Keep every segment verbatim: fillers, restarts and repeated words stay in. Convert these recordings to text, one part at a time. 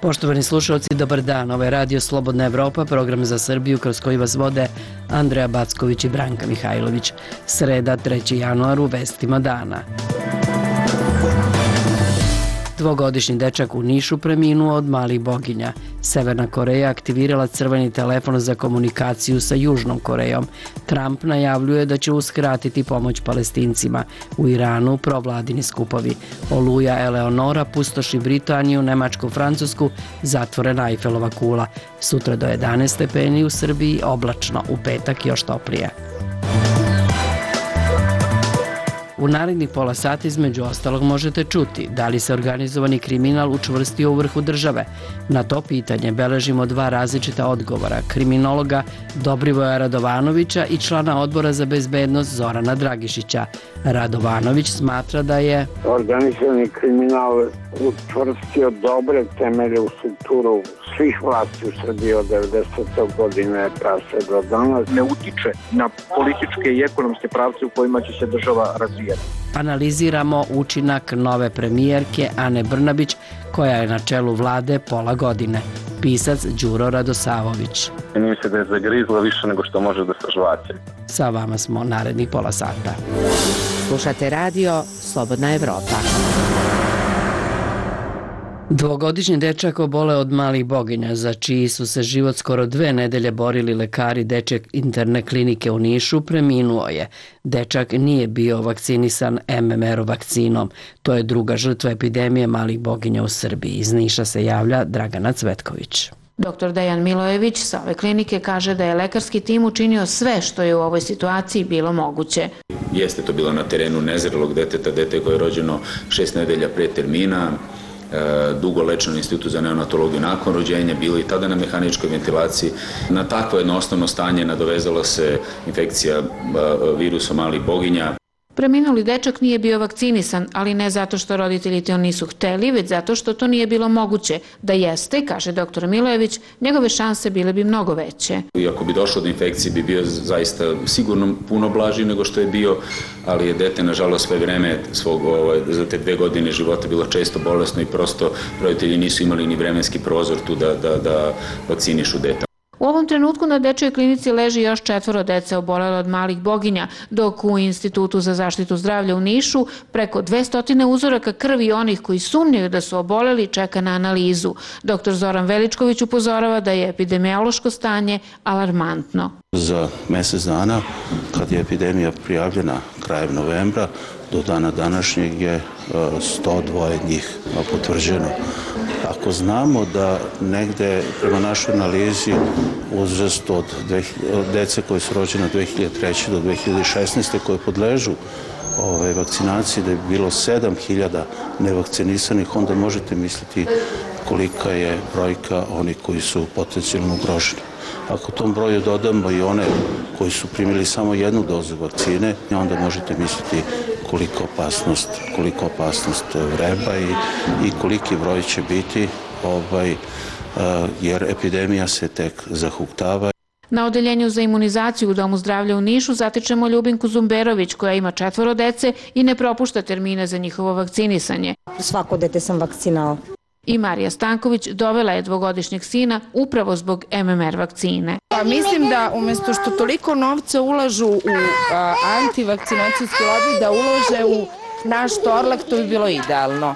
Poštovani slušalci, dobar dan. Ovo je Radio Slobodna Evropa, program za Srbiju kroz koji vas vode Andreja Backović i Branka Mihajlović. Sreda, treći januar, u vestima dana. Dvogodišnji dečak u Nišu preminuo od malih boginja. Severna Koreja aktivirala crveni telefon za komunikaciju sa Južnom Korejom. Trump najavljuje da će uskratiti pomoć Palestincima. U Iranu provladini skupovi. Oluja Eleonora pustoši Britaniju, Nemačku, Francusku, zatvorena Eifelova kula. Sutra do jedanaest stepeni, u Srbiji oblačno, u petak još toplije. U narednih pola sata između ostalog možete čuti da li se organizovani kriminal učvrstio u vrhu države. Na to pitanje beležimo dva različita odgovora, kriminologa Dobrivoja Radovanovića i člana odbora za bezbednost Zorana Dragišića. Radovanović smatra da je organizovani kriminal učvrstio dobre temelje u strukturu svih vlasti u Srbiji od devedesete godine pa sve do danas. Ne utiče na političke i ekonomske pravce u kojima će se država razvijati. Analiziramo učinak nove premijerke Ane Brnabić, koja je na čelu vlade pola godine. Pisac Đuro Radosavović. Čini mi se da je zagrizla više nego što može da sažvaće. Sa vama smo narednih pola sata. Slušate radio Slobodna Evropa. Dvogodišnji dečak obole od malih boginja, za čiji su se život skoro dve nedelje borili lekari dečje interne klinike u Nišu, preminuo je. Dečak nije bio vakcinisan em em er vakcinom. To je druga žrtva epidemije malih boginja u Srbiji. Iz Niša se javlja Dragana Cvetković. Doktor Dejan Milojević sa ove klinike kaže da je lekarski tim učinio sve što je u ovoj situaciji bilo moguće. Jeste to bilo na terenu nezrelog deteta, dete koje je rođeno šest nedelja pre termina, dugo lečeno u Institutu za neonatologiju nakon rođenja, bilo i tada na mehaničkoj ventilaciji. Na takvo jedno osnovno stanje nadovezala se infekcija virusom malih boginja. Preminuli dečak nije bio vakcinisan, ali ne zato što roditelji to nisu hteli, već zato što to nije bilo moguće. Da jeste, kaže doktor Milojević, njegove šanse bile bi mnogo veće. I ako bi došlo do infekcije bi bio zaista sigurno puno blaži nego što je bio, ali je dete nažalost sve vreme svog, ovaj, za te dve godine života bilo često bolesno i prosto roditelji nisu imali ni vremenski prozor tu da, da, da vakcinišu dete. U ovom trenutku na dečjoj klinici leži još četvoro dece obolele od malih boginja, dok u Institutu za zaštitu zdravlja u Nišu preko dvesta uzoraka krvi onih koji sumnjaju da su oboleli čeka na analizu. Doktor Zoran Veličković upozorava da je epidemiološko stanje alarmantno. Za mesec dana, kad je epidemija prijavljena krajem novembra, do dana današnjeg je sto dva njih potvrđeno. Ako znamo da negde prema našoj analizi uzrast od dece koje su rođene od dve hiljade treće do dve hiljade šesnaeste koje podležu ove vakcinaciji, da je bilo sedam hiljada nevakcinisanih, onda možete misliti kolika je brojka onih koji su potencijalno ugroženi. Ako tom broju dodamo i one koji su primili samo jednu dozu vakcine, onda možete misliti koliko opasnost, koliko opasnost vreba i, i koliki broj će biti, ovaj, jer epidemija se tek zahuktava. Na odeljenju za imunizaciju u Domu zdravlja u Nišu zatičemo Ljubinku Zumberović, koja ima četvoro dece i ne propušta termine za njihovo vakcinisanje. Svako dete sam vakcinala. I Marija Stanković dovela je dvogodišnjeg sina upravo zbog em em er vakcine. Pa mislim da umjesto što toliko novca ulažu u a, antivakcinacijski lobi, da ulože u naš Torlak, to bi bilo idealno.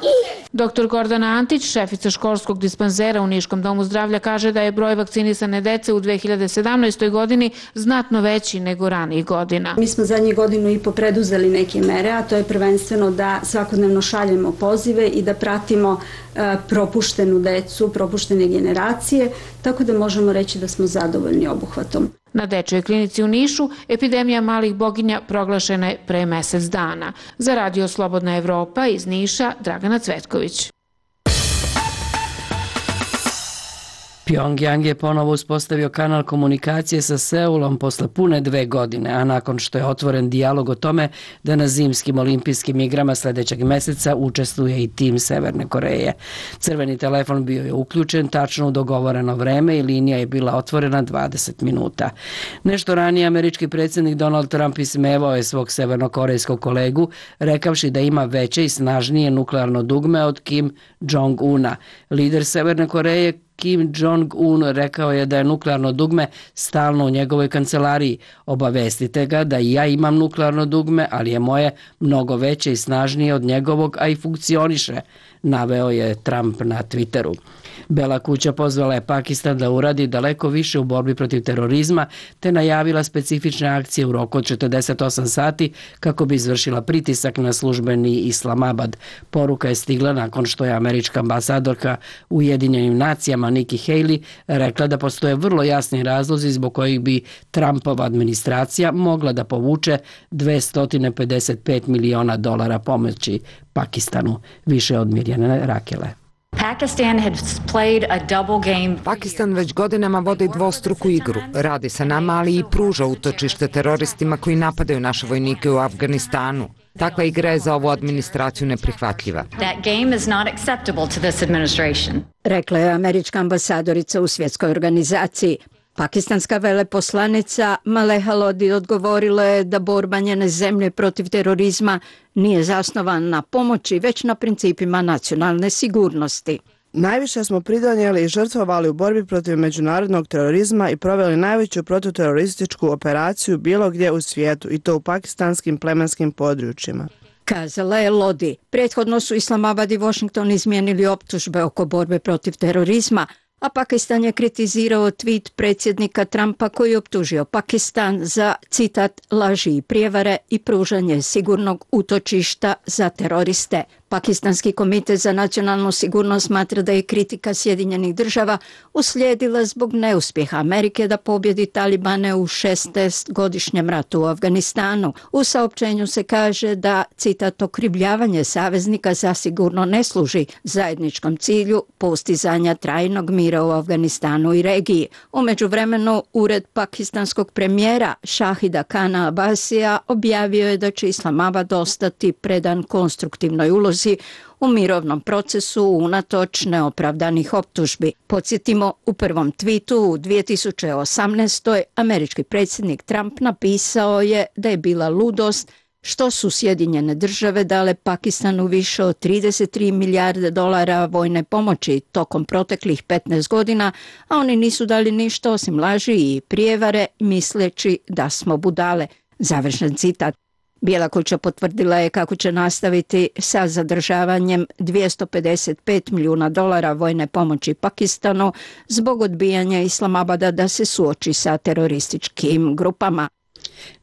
Doktor Gordana Antić, šefica školskog dispanzera u Niškom domu zdravlja, kaže da je broj vakcinisane dece u dve hiljade sedamnaestoj godini znatno veći nego ranijih godina. Mi smo zadnjih godinu i po preduzeli neke mere, a to je prvenstveno da svakodnevno šaljemo pozive i da pratimo propuštenu decu, propuštene generacije, tako da možemo reći da smo zadovoljni obuhvatom. Na dečjoj klinici u Nišu epidemija malih boginja proglašena je pre mesec dana. Za Radio Slobodna Evropa iz Niša, Dragana Cvetković. Pjongjang je ponovo uspostavio kanal komunikacije sa Seulom posle pune dve godine, a nakon što je otvoren dijalog o tome da na zimskim olimpijskim igrama sledećeg meseca učestvuje i tim Severne Koreje. Crveni telefon bio je uključen tačno u dogovoreno vreme i linija je bila otvorena dvadeset minuta. Nešto ranije američki predsjednik Donald Trump ismevao je svog severnokorejskog kolegu, rekavši da ima veće i snažnije nuklearno dugme od Kim Jong-una. Lider Severne Koreje Kim Jong-un rekao je da je nuklearno dugme stalno u njegovoj kancelariji. Obavestite ga da i ja imam nuklearno dugme, ali je moje mnogo veće i snažnije od njegovog, a i funkcioniše, naveo je Trump na Twitteru. Bela kuća pozvala je Pakistan da uradi daleko više u borbi protiv terorizma, te najavila specifične akcije u roku od četrdeset osam sati kako bi izvršila pritisak na službeni Islamabad. Poruka je stigla nakon što je američka ambasadorka u Ujedinjenim nacijama Nikki Haley rekla da postoje vrlo jasni razlozi zbog kojih bi Trumpova administracija mogla da povuče dvesta pedeset pet miliona dolara pomoći Pakistanu. Više od Mirjane Rakele. Pakistan već godinama vodi dvostruku igru. Radi sa nama, ali i pruža utočište teroristima koji napadaju naše vojnike u Afganistanu. Takva igra je za ovu administraciju neprihvatljiva. Rekla je američka ambasadorica u svjetskoj organizaciji. Pakistanska veleposlanica Maleha Lodi odgovorila je da borba njene zemlje protiv terorizma nije zasnovan na pomoći, već na principima nacionalne sigurnosti. Najviše smo pridonijeli i žrtvovali u borbi protiv međunarodnog terorizma i proveli najveću protuterorističku operaciju bilo gdje u svijetu, i to u pakistanskim plemenskim područjima. Kazala je Lodi. Prethodno su Islamabad i Washington izmijenili optužbe oko borbe protiv terorizma, a Pakistan je kritizirao tweet predsjednika Trumpa koji je optužio Pakistan za, citat, laži i prijevare i pružanje sigurnog utočišta za teroriste. Pakistanski komitet za nacionalnu sigurnost smatra da je kritika Sjedinjenih država uslijedila zbog neuspjeha Amerike da pobjedi Talibane u šesnaestogodišnjem ratu u Afganistanu. U saopćenju se kaže da, citat, okrivljavanje saveznika zasigurno ne služi zajedničkom cilju postizanja trajnog mira u Afganistanu i regiji. U međuvremenu, ured pakistanskog premijera Shahida Khana Abbasija objavio je da će Islamabad ostati predan konstruktivnoj ulozi u mirovnom procesu unatoč neopravdanih optužbi. Podsjetimo, u prvom tvitu u dvije tisuće osamnaestoj. američki predsjednik Trump napisao je da je bila ludost što su Sjedinjene države dale Pakistanu više od trideset tri milijarde dolara vojne pomoći tokom proteklih petnaest godina, a oni nisu dali ništa osim laži i prijevare misleći da smo budale. Završen citat. Bijela kuća potvrdila je kako će nastaviti sa zadržavanjem dvjesto pedeset pet milijuna dolara vojne pomoći Pakistanu zbog odbijanja Islamabada da se suoči sa terorističkim grupama.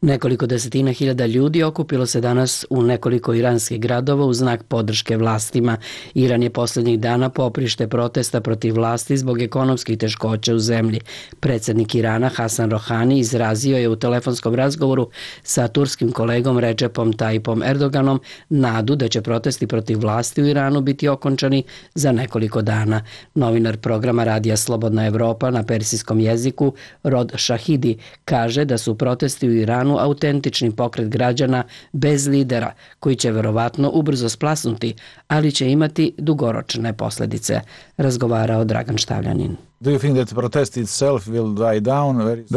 Nekoliko desetina hiljada ljudi okupilo se danas u nekoliko iranskih gradova u znak podrške vlastima. Iran je posljednjih dana poprište protesta protiv vlasti zbog ekonomskih teškoća u zemlji. Predsjednik Irana Hasan Rohani izrazio je u telefonskom razgovoru sa turskim kolegom Recepom Tayyipom Erdoganom nadu da će protesti protiv vlasti u Iranu biti okončani za nekoliko dana. Novinar programa Radija Slobodna Evropa na persijskom jeziku Rod Shahidi kaže da su protesti u Iranu autentični pokret građana bez lidera koji će verovatno ubrzo splasnuti, ali će imati dugoročne posljedice, razgovarao Dragan Štavljanin. Da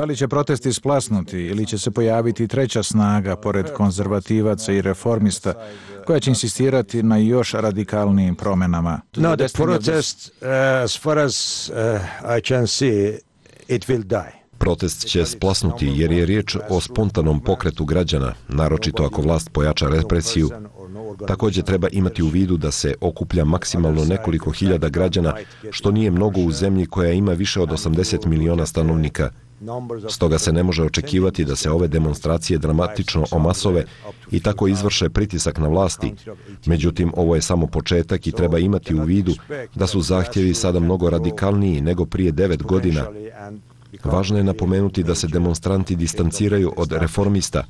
li će protesti splasnuti ili će se pojaviti treća snaga pored konzervativaca i reformista koja će insistirati na još radikalnijim promjenama? No, the protest, uh, as far as uh, I can see, it will die. Protest će splasnuti jer je riječ o spontanom pokretu građana, naročito ako vlast pojača represiju. Također treba imati u vidu da se okuplja maksimalno nekoliko hiljada građana, što nije mnogo u zemlji koja ima više od osamdeset miliona stanovnika. Stoga se ne može očekivati da se ove demonstracije dramatično omasove i tako izvrše pritisak na vlasti. Međutim, ovo je samo početak i treba imati u vidu da su zahtjevi sada mnogo radikalniji nego prije devet godina. Važno je napomenuti da se demonstranti distanciraju od reformista.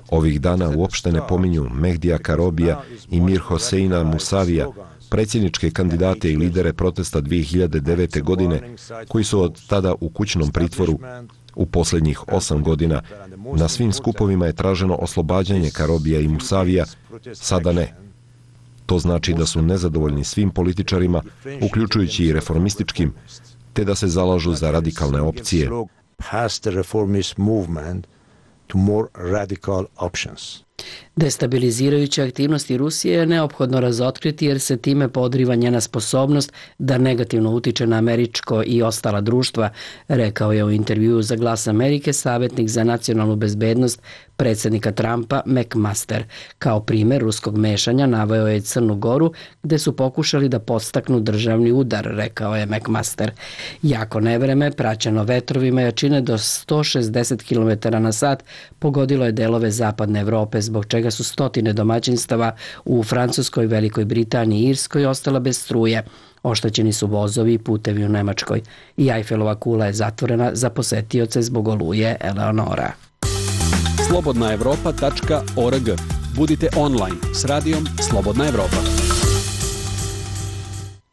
Ovih dana uopšte ne pominju Mehdija Karobija i Mir Hoseina Musavija, predsjedničke kandidate i lidere protesta dvije hiljade devete. godine, koji su od tada u kućnom pritvoru. U posljednjih osam godina na svim skupovima je traženo oslobađanje Karobija i Musavija, sada ne. To znači da su nezadovoljni svim političarima, uključujući i reformističkim, te da se zalažu za radikalne opcije. Destabilizirajuće aktivnosti Rusije je neophodno razotkriti jer se time podriva njena sposobnost da negativno utiče na američko i ostala društva, rekao je u intervjuu za Glas Amerike savjetnik za nacionalnu bezbednost predsjednika Trumpa McMaster. Kao primjer ruskog mešanja naveo je Crnu Goru gde su pokušali da podstaknu državni udar, rekao je McMaster. Jako nevreme, praćeno vetrovima jačine do sto šezdeset kilometara na sat, pogodilo je delove zapadne Evrope, zbog čega su stotine domaćinstava u Francuskoj, Velikoj Britaniji i Irskoj ostala bez struje. Oštećeni su vozovi i putevi u Nemačkoj. I Ajfelova kula je zatvorena za posetioce zbog oluje Eleonora. slobodna evropa tačka org. Budite online s radijom Slobodna Evropa.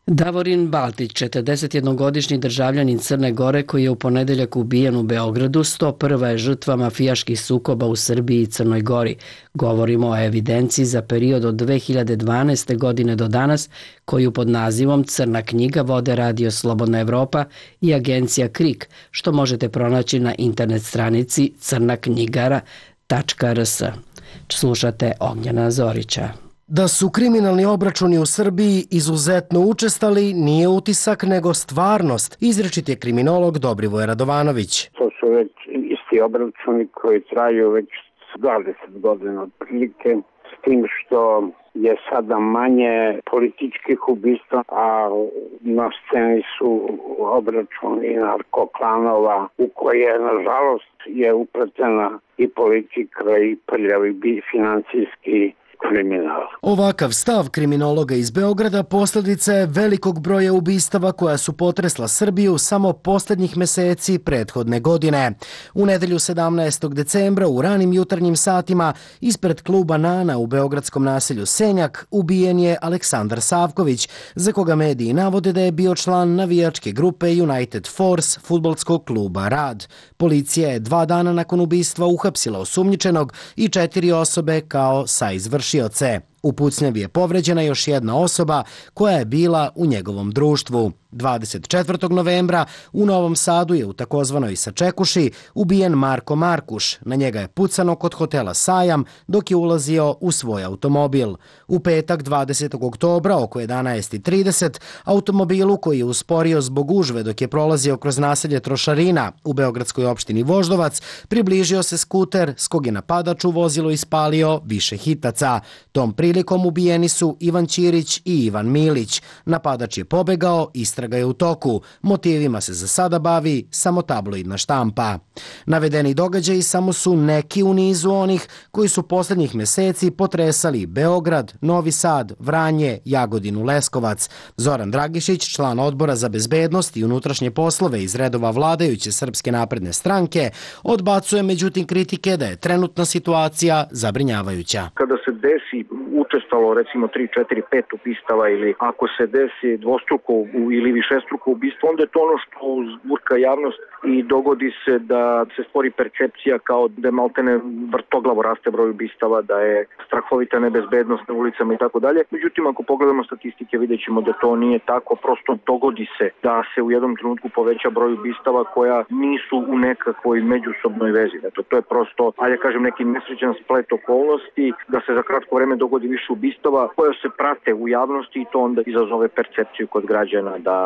Davorin Baltić, četrdesetjednogodišnji državljanin Crne Gore koji je u ponedeljak ubijen u Beogradu, sto prva je žrtva mafijaških sukoba u Srbiji i Crnoj Gori. Govorimo o evidenciji za period od dve hiljade dvanaeste. godine do danas, koju pod nazivom Crna knjiga vode Radio Slobodna Evropa i agencija KRIK, što možete pronaći na internet stranici crna knjigara tačka r s. Slušate Ognjena Zorića. Da su kriminalni obračuni u Srbiji izuzetno učestali nije utisak nego stvarnost, izričit je kriminolog Dobrivoje Radovanović. To su već isti obračuni koji traju već dvadeset godina otprilike, s tim što je sada manje političkih ubistva, a na sceni su obračuni narkoklanova u koje, nažalost, je upletena i politika i prljavi financijski kriminal. Ovakav stav kriminologa iz Beograda posljedica je velikog broja ubistava koja su potresla Srbiju samo posljednjih meseci prethodne godine. U nedelju sedamnaestog decembra u ranim jutarnjim satima ispred kluba Nana u beogradskom naselju Senjak ubijen je Aleksandar Savković, za koga mediji navode da je bio član navijačke grupe United Force fudbalskog kluba Rad. Policija je dva dana nakon ubistva uhapsila osumnjičenog i četiri osobe kao saizvršioce. U pucnjavi je povređena još jedna osoba koja je bila u njegovom društvu. dvadeset četvrtog novembra u Novom Sadu je u takozvanoj Sačekuši ubijen Marko Markuš. Na njega je pucano kod hotela Sajam dok je ulazio u svoj automobil. U petak dvadesetog oktobra oko jedanaest i trideset automobilu koji je usporio zbog gužve dok je prolazio kroz naselje Trošarina u beogradskoj opštini Voždovac približio se skuter s kog je napadač u vozilo ispalio više hitaca. Tom prilikom ubijeni su Ivan Ćirić i Ivan Milić. Napadač je pobegao, istraga je u toku. Motivima se za sada bavi samo tabloidna štampa. Navedeni događaji samo su neki u nizu onih koji su posljednjih meseci potresali Beograd, Novi Sad, Vranje, Jagodinu, Leskovac. Zoran Dragišić, član odbora za bezbednost i unutrašnje poslove iz redova vladajuće Srpske napredne stranke, odbacuje međutim kritike da je trenutna situacija zabrinjavajuća. Kada se desi učestalo recimo tri, četiri, pet ubistava ili ako se desi dvostruko ili višestruko ubistvo, onda je to ono što uzburka javnost i dogodi se da se stvori percepcija kao da je maltene vrtoglavo raste broj ubistava, da je strahovita nebezbednost na ulicama i tako dalje. Međutim, ako pogledamo statistike, vidjet ćemo da to nije tako. Prosto dogodi se da se u jednom trenutku poveća broj ubistava koja nisu u nekakvoj međusobnoj vezi. Dakle, to je prosto, ajde kažem, neki nesrećan splet okolnosti da se za kratko vreme dogodi više ubistava koje se prate u javnosti i to onda izazove percepciju kod građana da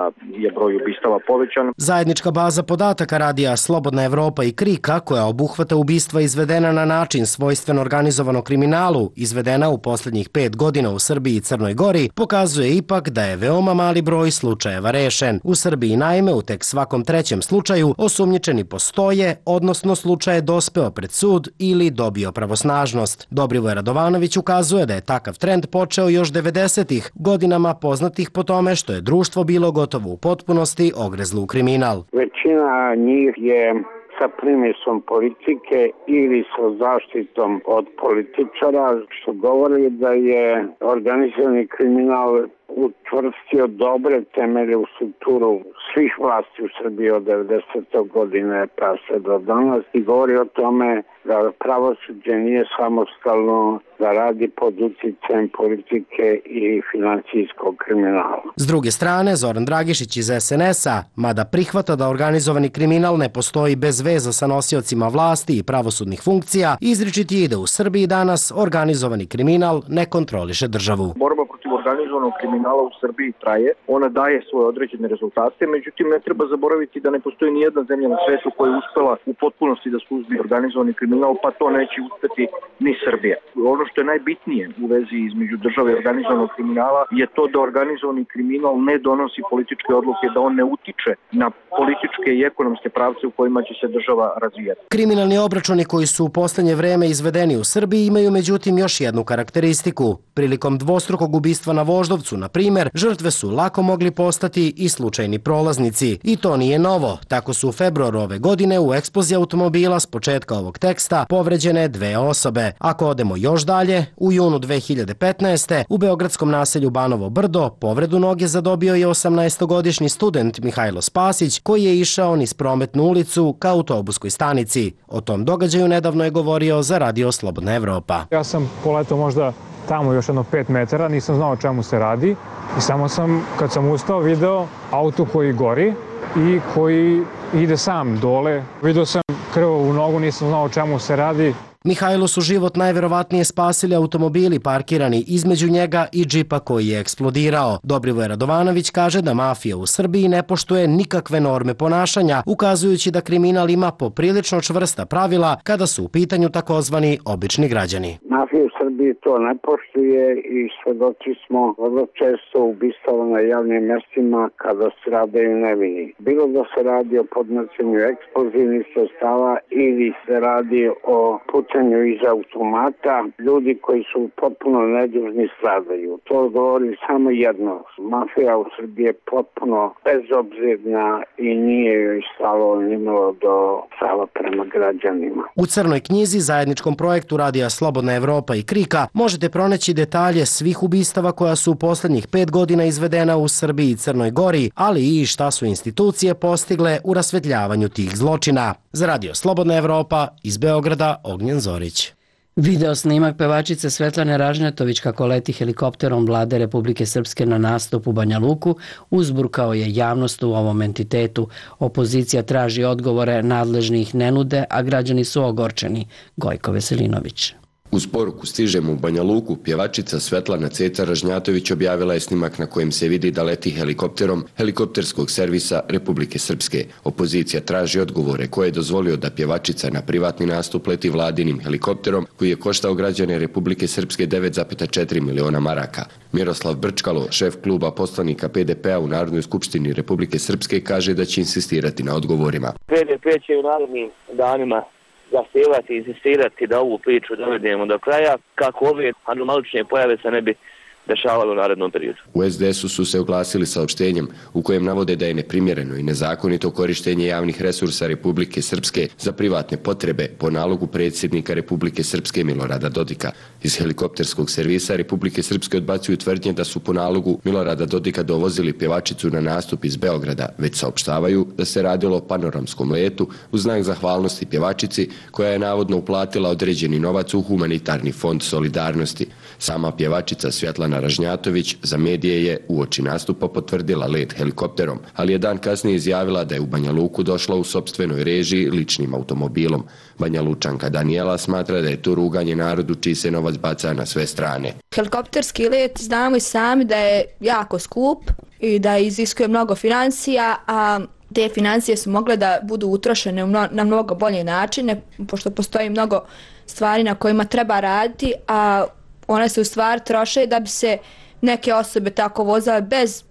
je broj ubistava povećan. Zajednička baza podataka radija Slobodna Evropa i KRIK-a koja obuhvata ubistva izvedena na način svojstven organizovanom kriminalu, izvedena u posljednjih pet godina u Srbiji i Crnoj Gori, pokazuje ipak da je veoma mali broj slučajeva rešen. U Srbiji naime u tek svakom trećem slučaju osumnjičeni postoje, odnosno slučaj je dospeo pred sud ili dobio pravosnažnost. Dobrivoje Radovanović ukazuje da je takav trend počeo još devedesetih godinama poznatih po tome što je društvo bilo gotovo u potpunosti ogrezlo u kriminal. Većina njih je sa primisom politike ili sa zaštitom od političara, što govori da je organizirani kriminal učvrstio dobre temelje u strukturu svih vlasti u Srbiji od devedesete godine pa sve do danas i govori o tome da pravosuđe nije samostalno, da radi pod uticajem politike i financijskog kriminala. S druge strane, Zoran Dragišić iz es en es-a, mada prihvata da organizovani kriminal ne postoji bez veza sa nosiocima vlasti i pravosudnih funkcija, izričiti je da u Srbiji danas organizovani kriminal ne kontroliše državu. Borba protiv organizovanog kriminala u Srbiji traje, ona daje svoje određene rezultate, međutim ne treba zaboraviti da ne postoji ni jedna zemlja na svetu koja je uspela u potpunosti da suzbije organizovani kriminal, pa to neće uspeti ni Srbija. Ono što je najbitnije u vezi između države i organizovanog kriminala je to da organizovani kriminal ne donosi političke odluke, da on ne utiče na političke i ekonomske pravce u kojima će se država razvijati. Kriminalni obračuni koji su u poslednje vreme izvedeni u Srbiji imaju međutim još jednu karakteristiku. Prilikom dvostrukog ubistva na Voždovcu, na primer, žrtve su lako mogli postati i slučajni prolaznici. I to nije novo. Tako su u februaru ove godine u eksploziji automobila s početka ovog teksta povređene dve osobe. Ako odemo još dalje, u junu dve hiljade petnaeste. u beogradskom naselju Banovo Brdo povredu noge zadobio je osamnaestogodišnji student Mihajlo Spasić koji je išao niz prometnu ulicu ka autobuskoj stanici. O tom događaju nedavno je govorio za Radio Slobodna Evropa. Ja sam poletao možda tamo još jedno pet metara, nisam znao o čemu se radi i samo sam, kad sam ustao, video auto koji gori i koji ide sam dole. Video sam krv u nogu, nisam znao o čemu se radi. Mihajlo su život najverovatnije spasili automobili parkirani između njega i džipa koji je eksplodirao. Dobrivoje Radovanović kaže da mafija u Srbiji ne poštuje nikakve norme ponašanja, ukazujući da kriminal ima poprilično čvrsta pravila kada su u pitanju takozvani obični građani. Mafija u Srbiji to ne poštuje i svedoci smo vrlo često ubistava na javnim mestima kada se radaju nevini. Bilo da se radi o podnošenju eksplozivnih sredstava ili se radi o pucanju iz automata, ljudi koji su potpuno nedužni stradaju. To govori samo jedno. Mafija u Srbiji je potpuno bezobzirna i nije joj stalo nimalo do stava prema građanima. U Crnoj knjizi, zajedničkom projektu Radija Slobodna Evropa i Krika, možete pronaći detalje svih ubistava koja su u poslednjih pet godina izvedena u Srbiji i Crnoj Gori, ali i šta su institucije postigle u rasvetljavanju tih zločina. Za Radio Slobodna Evropa iz Beograda, Ognjen Zorić. Video snimak pevačice Svetlane Ražnjatović kako leti helikopterom Vlade Republike Srpske na nastup u Banja Luku uzburkao je javnost u ovom entitetu. Opozicija traži odgovore, nadležnih ne nude, a građani su ogorčeni. Gojko Veselinović. Uz poruku stižemo u Banja Luku, pjevačica Svetlana Ceca Ražnjatović objavila je snimak na kojem se vidi da leti helikopterom helikopterskog servisa Republike Srpske. Opozicija traži odgovore koje je dozvolio da pjevačica na privatni nastup leti vladinim helikopterom koji je koštao građane Republike Srpske devet zarez četiri miliona maraka. Miroslav Brčkalo, šef kluba poslanika P D P-a u Narodnoj skupštini Republike Srpske, kaže da će insistirati na odgovorima. P D P će u narednim danima zahtijevati i insistirati da ovu priču dovedemo do kraja, kako ove anomalične pojave se ne bi dešavalo u narednom periodu. U es de esu su se oglasili saopštenjem u kojem navode da je neprimjereno i nezakonito korištenje javnih resursa Republike Srpske za privatne potrebe po nalogu predsjednika Republike Srpske Milorada Dodika. Iz helikopterskog servisa Republike Srpske odbacuju tvrdnje da su po nalogu Milorada Dodika dovozili pjevačicu na nastup iz Beograda, već saopštavaju da se radilo o panoramskom letu u znak zahvalnosti pjevačici koja je navodno uplatila određeni novac u humanitarni fond solidarnosti. Sama pjevačica Svetlana Ražnjatović za medije je uoči nastupa potvrdila let helikopterom, ali je dan kasnije izjavila da je u Banja Luku došla u sopstvenoj režiji ličnim automobilom. Banja Lučanka Danijela smatra da je to ruganje narodu čiji se novac baca na sve strane. Helikopterski let znamo i sami da je jako skup i da iziskuje mnogo financija, a te financije su mogle da budu utrošene na mnogo bolje načine, pošto postoji mnogo stvari na kojima treba raditi, a one se u stvari troše da bi se neke osobe tako vozale bez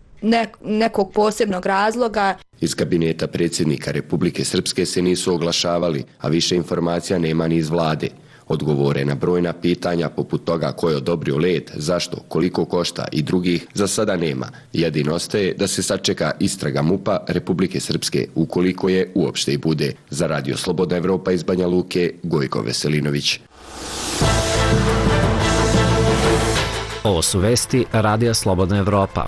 nekog posebnog razloga. Iz kabineta predsjednika Republike Srpske se nisu oglašavali, a više informacija nema ni iz vlade. Odgovore na brojna pitanja poput toga ko je odobrio let, zašto, koliko košta i drugih za sada nema. Jedino ostaje da se sačeka istraga MUP-a Republike Srpske, ukoliko je uopšte i bude. Za Radio Slobodna Evropa iz Banja Luke, Gojko Veselinović. Ovo su vesti Radija Slobodna Evropa.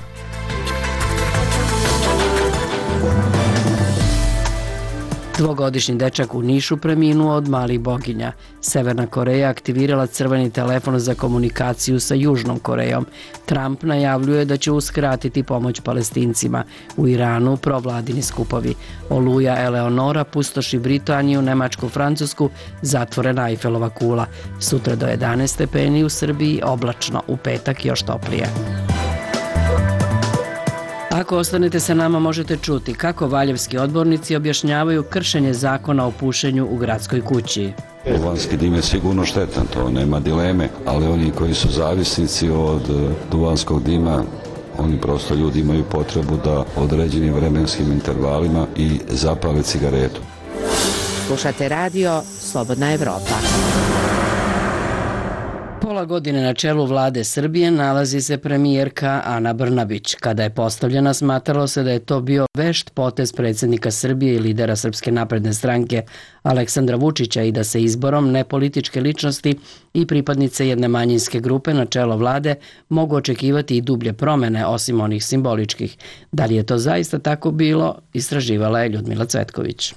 Dvogodišnji dečak u Nišu preminuo od malih boginja. Severna Koreja aktivirala crveni telefon za komunikaciju sa Južnom Korejom. Trump najavljuje da će uskratiti pomoć Palestincima. U Iranu provladini skupovi. Oluja Eleonora pustoši Britaniju, Nemačku, Francusku, zatvorena Eifelova kula. Sutra do jedanaest stepeni u Srbiji, oblačno, u petak još toplije. Ako ostanete sa nama možete čuti kako valjevski odbornici objašnjavaju kršenje zakona o pušenju u gradskoj kući. Duvanski dim je sigurno štetan, to nema dileme, ali oni koji su zavisnici od duvanskog dima, oni prosto ljudi imaju potrebu da određenim vremenskim intervalima i zapale cigaretu. Slušate radio Slobodna Evropa. Pola godine na čelu vlade Srbije nalazi se premijerka Ana Brnabić. Kada je postavljena, smatralo se da je to bio vešt potez predsjednika Srbije i lidera Srpske napredne stranke Aleksandra Vučića i da se izborom nepolitičke ličnosti i pripadnice jedne manjinske grupe na čelo vlade mogu očekivati i dublje promene osim onih simboličkih. Da li je to zaista tako bilo, istraživala je Ljudmila Cvetković.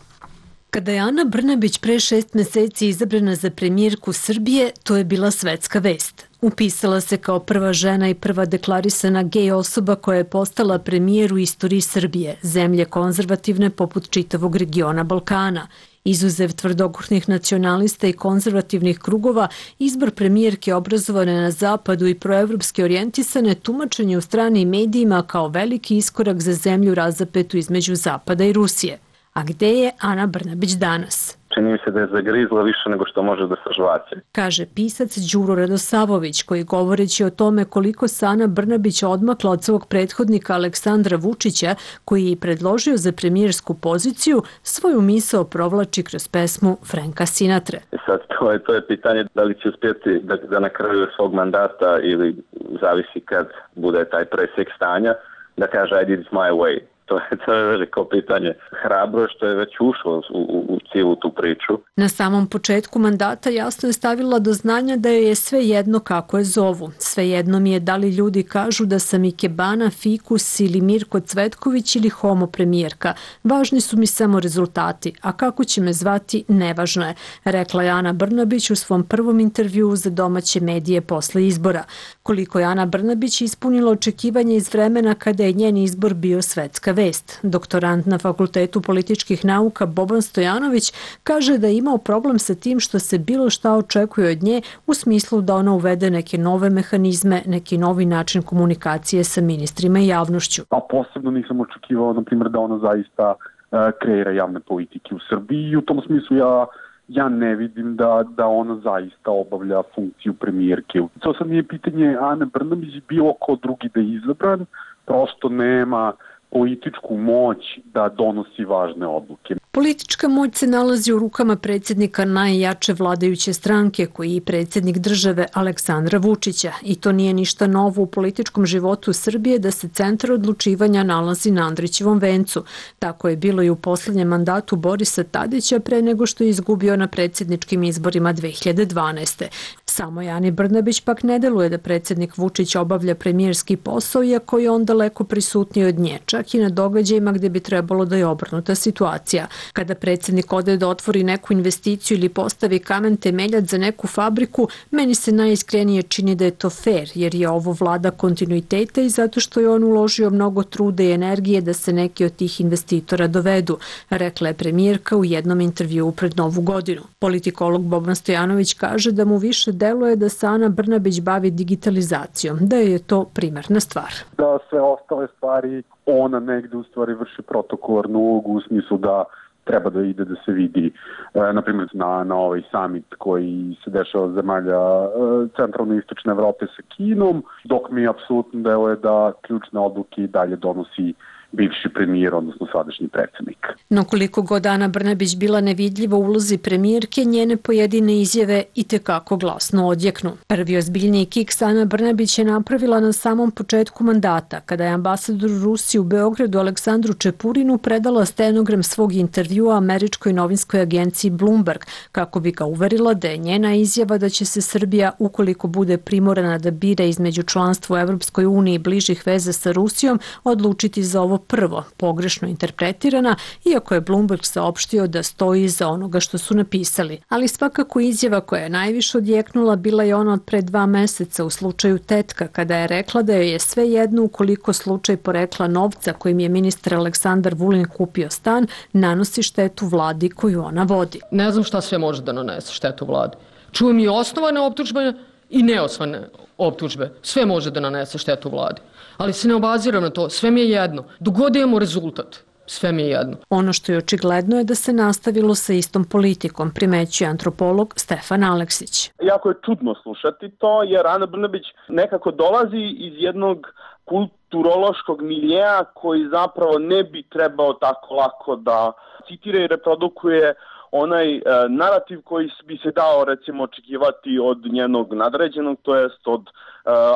Kada je Ana Brnabić pre šest meseci izabrana za premijerku Srbije, to je bila svetska vest. Upisala se kao prva žena i prva deklarisana gej osoba koja je postala premijer u istoriji Srbije, zemlje konzervativne poput čitavog regiona Balkana. Izuzev tvrdokornih nacionalista i konzervativnih krugova, izbor premijerke obrazovane na zapadu i proevropske orijentisane tumačen je u stranim medijima kao veliki iskorak za zemlju razapetu između Zapada i Rusije. A gde je Ana Brnabić danas? Čini mi se da je zagrizla više nego što može da sažvaće. Kaže pisac Đuro Radosavović, koji govoreći o tome koliko se Ana Brnabić odmakla od svog prethodnika Aleksandra Vučića, koji je predložio za premijersku poziciju, svoju misao provlači kroz pesmu Franka Sinatre. Sad to je, to je pitanje da li će uspjeti da, da na kraju svog mandata ili zavisi kad bude taj presjek stanja, da kaže I did it my way. To je, to je veliko pitanje. Hrabro što je već ušlo u, u, u cijelu tu priču. Na samom početku mandata jasno je stavila do znanja da joj je sve jedno kako je zovu. Sve jedno mi je da li ljudi kažu da sam Ikebana, Fikus ili Mirko Cvetković ili homo premijerka. Važni su mi samo rezultati, a kako će me zvati nevažno je, rekla je Ana Brnabić u svom prvom intervjuu za domaće medije posle izbora. Koliko je Ana Brnabić ispunila očekivanje iz vremena kada je njen izbor bio svetska vest. Doktorant na Fakultetu političkih nauka Boban Stojanović kaže da je imao problem sa tim što se bilo šta očekuje od nje u smislu da ona uvede neke nove mehanizme, neki novi način komunikacije sa ministrima i javnošću. A posebno nisam očekivao, na primjer, da ona zaista uh, kreira javne politike u Srbiji i u tom smislu ja ja ne vidim da, da ona zaista obavlja funkciju premijerke. To sad nije pitanje Ane Brnabić, bilo ko drugi da je izabran, prosto nema političku moć da donosi važne odluke. Politička moć se nalazi u rukama predsjednika najjače vladajuće stranke, koji je predsjednik države Aleksandra Vučića. I to nije ništa novo u političkom životu Srbije da se centar odlučivanja nalazi na Andrićevom vencu. Tako je bilo i u posljednjem mandatu Borisa Tadića pre nego što je izgubio na predsjedničkim izborima dve hiljade dvanaeste. Samo Ani Brnabić pak ne deluje da predsjednik Vučić obavlja premijerski posao, iako je on daleko prisutniji od nje, čak i na događajima gde bi trebalo da je obrnuta situacija. Kada predsjednik ode da otvori neku investiciju ili postavi kamen temeljac za neku fabriku, meni se najiskrenije čini da je to fair, jer je ovo vlada kontinuiteta i zato što je on uložio mnogo truda i energije da se neki od tih investitora dovedu, rekla je premijerka u jednom intervjuu pred Novu godinu. Politikolog Boban Stojanović kaže da mu više deluje da se Ana Brnabić bavi digitalizacijom, da je to primarna stvar. Da sve ostale stvari ona negde u stvari vrši protokolarnu ulogu u smislu da treba da ide da se vidi, e, na primjer, na, na ovaj summit koji se dešava zemalja e, centralne i istočne Evrope sa Kinom, dok mi apsolutno deluje da ključne odluke i dalje donosi bivši premijer, odnosno sadašnji predsjednik. No koliko god Ana Brnabić bila nevidljiva u ulozi premijerke, njene pojedine izjave i tekako glasno odjeknu. Prvi ozbiljniji kiks Ana Brnabić je napravila na samom početku mandata, kada je ambasador Rusije u Beogradu Aleksandru Čepurinu predala stenogram svog intervjua američkoj novinskoj agenciji Bloomberg, kako bi ga uverila da je njena izjava da će se Srbija, ukoliko bude primorana da bira između članstva u Evropskoj uniji i bližih veza sa Rusijom, odlučiti za ovo prvo, pogrešno interpretirana, iako je Bloomberg saopštio da stoji iza onoga što su napisali. Ali svakako izjava koja je najviše odjeknula bila je ona od pre dva meseca u slučaju Tetka, kada je rekla da joj je sve jedno ukoliko slučaj porekla novca kojim je ministar Aleksandar Vulin kupio stan nanosi štetu vladi koju ona vodi. Ne znam šta sve može da nanese štetu vladi. Čujem i osnovane optužbe i neosnovane optužbe. Sve može da nanese štetu vladi. Ali se ne obaziram na to, sve mi je jedno. Dok god imamo rezultat, sve mi je jedno. Ono što je očigledno je da se nastavilo sa istom politikom, primećuje antropolog Stefan Aleksić. Jako je čudno slušati to, jer Ana Brnabić nekako dolazi iz jednog kulturološkog miljeja koji zapravo ne bi trebao tako lako da citira i reprodukuje onaj e, narativ koji bi se dao recimo očekivati od njenog nadređenog, to jest od e,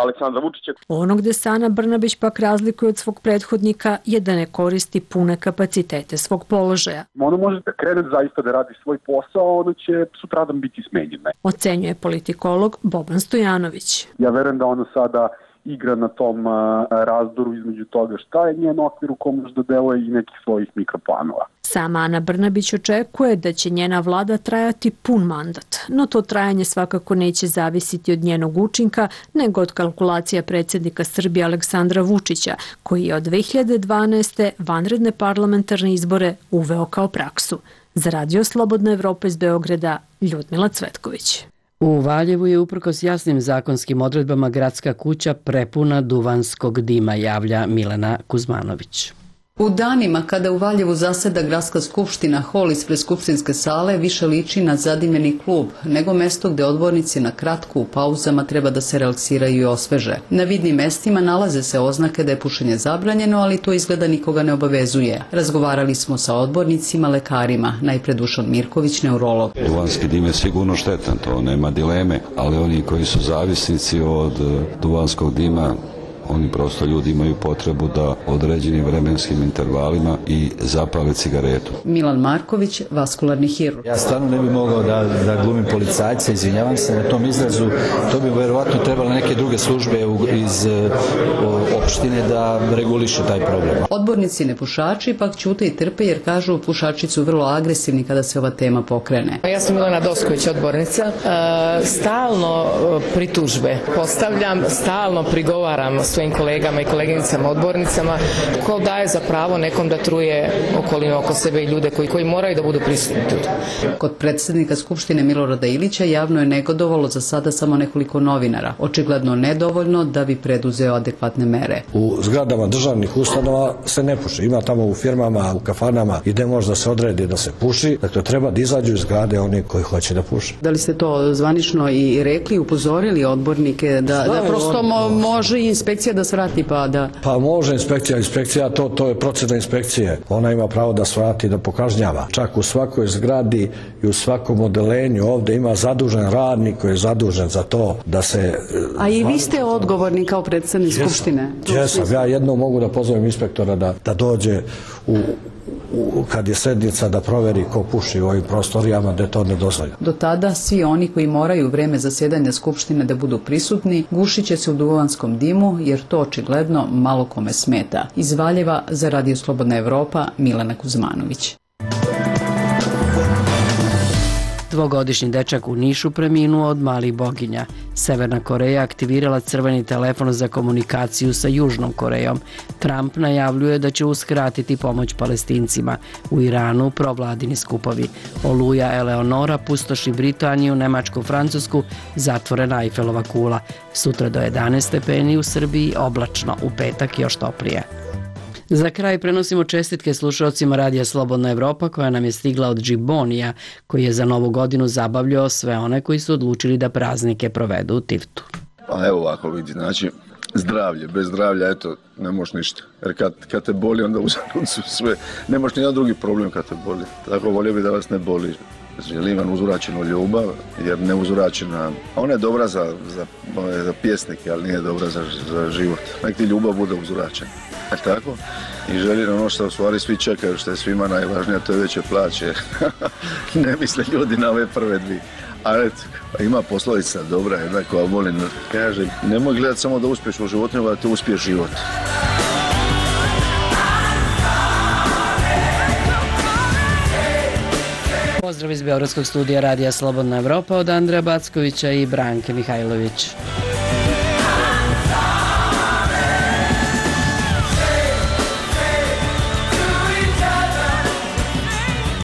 Aleksandra Vučića. Ono gde se Ana Brnabić pak razlikuje od svog prethodnika je da ne koristi pune kapacitete svog položaja. Ona može da krene zaista da radi svoj posao, ona će sutradan biti smenjena. Ocenjuje politikolog Boban Stojanović. Ja verujem da ona sada igra na tom a, razdoru između toga šta je njen okvir u kom možda deluje i nekih svojih mikroplanova. Sama Ana Brnabić očekuje da će njena vlada trajati pun mandat, no to trajanje svakako neće zavisiti od njenog učinka, nego od kalkulacija predsjednika Srbije Aleksandra Vučića, koji je od dve hiljade dvanaeste. vanredne parlamentarne izbore uveo kao praksu. Za Radio Slobodna Evropa iz Beograda, Ljudmila Cvetković. U Valjevu je uprkos jasnim zakonskim odredbama gradska kuća prepuna duvanskog dima, javlja Milena Kuzmanović. U danima kada u Valjevu zaseda gradska skupština, hol ispred skupštinske sale više liči na zadimljeni klub, nego mesto gde odbornici na kratku u pauzama treba da se relaksiraju i osveže. Na vidnim mestima nalaze se oznake da je pušenje zabranjeno, ali to izgleda nikoga ne obavezuje. Razgovarali smo sa odbornicima, lekarima, najpre Dušan Mirković, neurolog. Duvanski dim je sigurno štetan, to nema dileme, ali oni koji su zavisnici od duvanskog dima, oni prosto ljudi imaju potrebu da određenim vremenskim intervalima i zapale cigaretu. Milan Marković, vaskularni hirurg. Ja stvarno ne bih mogao da, da glumim policajca, izvinjavam se na tom izrazu, to bi verovatno trebalo neke druge službe iz o, opštine da reguliše taj problem. Odbornici nepušači pak ćute i trpe jer kažu pušači su vrlo agresivni kada se ova tema pokrene. Ja sam Milena Dosković, odbornica. E, stalno pritužbe postavljam, stalno prigovaram svojim kolegama i koleginicama odbornicama, ko daje za pravo nekom da truje okolinu oko sebe i ljude koji, koji moraju da budu prisutni. Kod predsjednika Skupštine Milorada Ilića javno je negodovalo za sada samo nekoliko novinara. Očigledno nedovoljno da bi preduzeo adekvatne mere. U zgradama državnih ustanova se ne puši. Ima tamo u firmama, u kafanama gde možda se odredi da se puši. Dakle, treba da izađu iz zgrade oni koji hoće da puše. Da li ste to zvanično i rekli, upozorili odbornike da, da prosto mo, može inspekcija da svrati pa da... Pa može inspekcija, inspekcija to, to je procedura inspekcije. Ona ima pravo da svrati, da pokažnjava. Čak u svakoj zgradi i u svakom odelenju ovde ima zadužen radnik koji je zadužen za to da se... A i vi ste odgovorni kao predsjednik Skupštine? Jesam, ja jednom mogu da pozovem inspektora da, da dođe u kad je sednica da proveri ko puši u ovim prostorijama gde to ne dozvolja. Do tada svi oni koji moraju u vreme zasedanja Skupštine da budu prisutni gušit će se u duvanskom dimu jer to očigledno malo kome smeta. Iz Valjeva za Radio Slobodna Evropa, Milena Kuzmanović. Dvogodišnji dečak u Nišu preminuo od malih boginja. Severna Koreja aktivirala crveni telefon za komunikaciju sa Južnom Korejom. Trump najavljuje da će uskratiti pomoć Palestincima. U Iranu provladini skupovi. Oluja Eleonora pustoši Britaniju, Nemačku, Francusku, zatvorena Eifelova kula. Sutra do jedanaest stepeni u Srbiji, oblačno, u petak još toplije. Za kraj prenosimo čestitke slušalcima Radija Slobodna Evropa koja nam je stigla od Džibonija, koji je za novu godinu zabavljao sve one koji su odlučili da praznike provedu u Tivtu. Pa evo ovako vidi, znači zdravlje, bez zdravlja, eto, ne možeš ništa. Jer kad, kad te boli, onda uzalud su sve. Ne možeš nijedan drugi problem kad te boli. Tako volio bi da vas ne boli. Želim vam uzvraćenu ljubav, jer ne uzvraćena, ona je dobra za, za, za pjesnike, ali nije dobra za, za život. Nek ti ljubav bude uzvraćena. E tako? I želim ono što u stvari svi čekaju, što je svima najvažnije, to je veće plaće. Ne misle ljudi na ove prve dvije. A eto, ima poslovica dobra, jedna koja volim, kaže, nemoj gledati samo da uspiješ u životu, nego da te uspije život. Pozdrav iz Beogradskog studija Radija Slobodna Evropa od Andreja Backovića i Branke Mihajlović.